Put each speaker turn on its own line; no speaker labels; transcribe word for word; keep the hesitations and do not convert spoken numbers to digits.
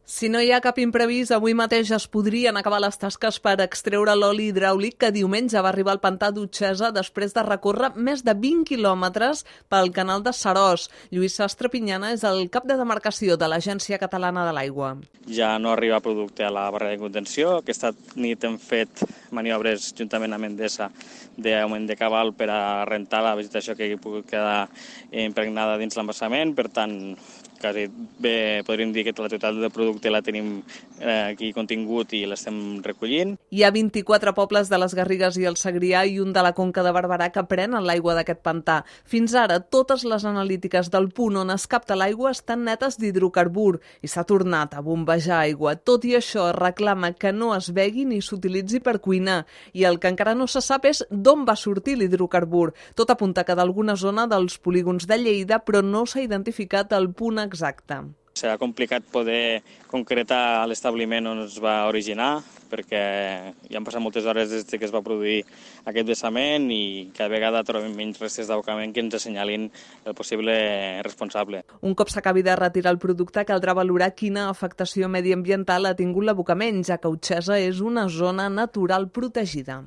Si no hi ha cap imprevist, avui mateix es podrien acabar les tasques per extreure l'oli hidràulic que diumenge va arribar al pantà d'Utxesa després de recórrer més de vint quilòmetres pel canal de Seròs. Lluís Sastre Pinyana és el cap de demarcació de l'Agència Catalana de l'Aigua.
Ja no arriba producte a la barrera de contenció. Aquesta nit hem fet maniobres juntament amb Endesa d'augment de cabal per a rentar la vegetació que hi pugui quedar impregnada dins l'embassament. Per tant, quasi bé podríem dir que la totalitat del producte la tenim aquí contingut i l'estem recollint.
Hi ha vint-i-quatre pobles de les Garrigues i el Segrià i un de la Conca de Barberà que prenen l'aigua d'aquest pantà. Fins ara, totes les analítiques del punt on es capta l'aigua estan netes d'hidrocarbur i s'ha tornat a bombejar aigua. Tot i això, reclama que no es begui ni s'utilitzi per cuinar. I el que encara no se sap és d'on va sortir l'hidrocarbur. Tot apunta que d'alguna zona dels polígons de Lleida, però no s'ha identificat el punt exacte.
Serà complicat poder concretar l'establiment on es va originar, perquè ja han passat moltes hores des que es va produir aquest vessament i cada vegada trobem menys restes d'abocament que ens assenyalin el possible responsable.
Un cop s'acabi de retirar el producte, caldrà valorar quina afectació mediambiental ha tingut l'abocament, ja que Utxesa és una zona natural protegida.